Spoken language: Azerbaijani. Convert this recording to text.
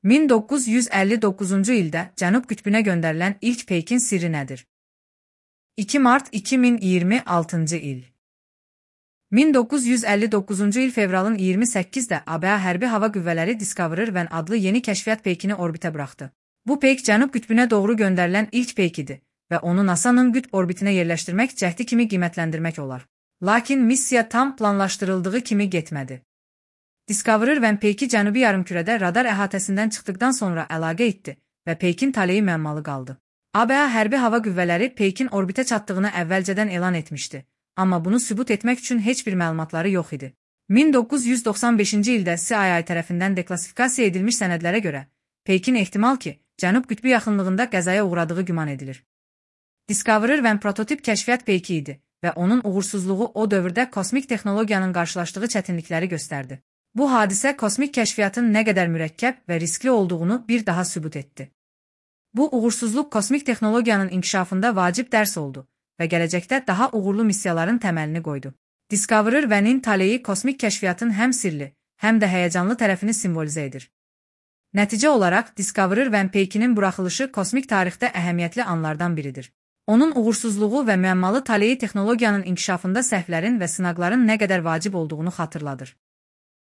1959-cu ildə Cənub qütbünə göndərilən ilk peykin sirri nədir? 2 mart 2026-cı il 1959-cu il fevralın 28-də ABŞ Hərbi Hava Qüvvələri Discoverer 1 adlı yeni kəşfiyyat peykini orbitə buraxdı. Bu peyk Cənub qütbünə doğru göndərilən ilk peyk idi və onu NASA-nın qütb orbitinə yerləşdirmək cəhdi kimi qiymətləndirmək olar. Lakin missiya tam planlaşdırıldığı kimi getmədi. Discoverer 1 peyki Cənubi yarımkürədə radar əhatəsindən çıxdıqdan sonra əlaqə etdi və peykin taleyi müəmmalı qaldı. ABŞ Hərbi Hava Qüvvələri peykin orbitə çatdığını əvvəlcədən elan etmişdi, amma bunu sübut etmək üçün heç bir məlumatları yox idi. 1995-ci ildə CIA tərəfindən deklassifikasiya edilmiş sənədlərə görə, peykin ehtimal ki, Cənub qütbü yaxınlığında qəzaya uğradığı güman edilir. Discoverer 1 prototip kəşfiyyat peyki idi və onun uğursuzluğu o dövrdə kosmik texnologiyanın qarşılaşdığı çətinlikləri göstərdi. Bu hadisə kosmik kəşfiyyatın nə qədər mürəkkəb və riskli olduğunu bir daha sübut etdi. Bu uğursuzluq kosmik texnologiyanın inkişafında vacib dərs oldu və gələcəkdə daha uğurlu missiyaların təməlini qoydu. Discoverer 1-in taleyi kosmik kəşfiyyatın həm sirli, həm də həyəcanlı tərəfini simvolizə edir. Nəticə olaraq Discoverer 1 peykinin buraxılışı kosmik tarixdə əhəmiyyətli anlardan biridir. Onun uğursuzluğu və müəmmalı taleyi texnologiyanın inkişafında səhvlərin və sınaqların nə qədər vacib olduğunu xatırladır.